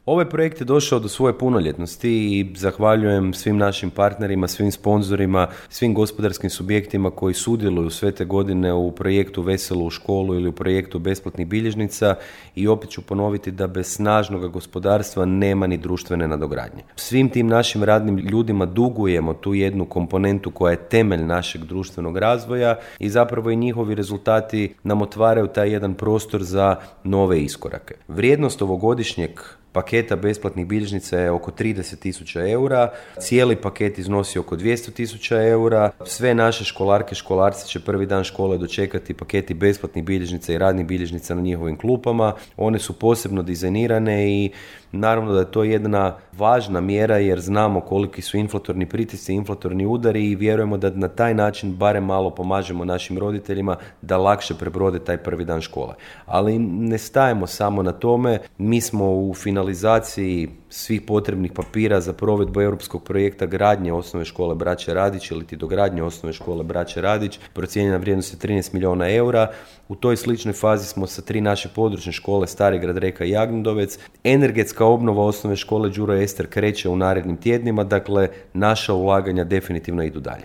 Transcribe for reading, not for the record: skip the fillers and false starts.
Ovaj projekt je došao do svoje punoljetnosti i zahvaljujem svim našim partnerima, svim sponzorima, svim gospodarskim subjektima koji sudjeluju sve te godine u projektu Veselo u školu ili u projektu besplatnih bilježnica i opet ću ponoviti da bez snažnog gospodarstva nema ni društvene nadogradnje. Svim tim našim radnim ljudima dugujemo tu jednu komponentu koja je temelj našeg društvenog razvoja i zapravo i njihovi rezultati nam otvaraju taj jedan prostor za nove iskorake. Vrijednost ovogodišnjeg paketa besplatnih bilježnica je oko 30.000 eura, cijeli paket iznosi oko 200.000 eura, sve naše školarke, školarci će prvi dan škole dočekati paketi besplatnih bilježnica i radnih bilježnica na njihovim klupama, one su posebno dizajnirane i naravno da je to jedna važna mjera jer znamo koliki su inflatorni pritisci, inflatorni udari i vjerujemo da na taj način barem malo pomažemo našim roditeljima da lakše prebrode taj prvi dan škole. Ali ne stajemo samo na tome, mi smo u finalizaciji svih potrebnih papira za provedbu europskog projekta gradnje osnovne škole Braće Radić ili ti dogradnje osnovne škole Braće Radić, procijenjena vrijednost je 13 milijuna eura. U toj sličnoj fazi smo sa 3 naše područne škole Starigrad, Reka i Jagnjadovec. Energetska obnova osnovne škole Đuro Ester kreće u narednim tjednima, dakle naša ulaganja definitivno idu dalje.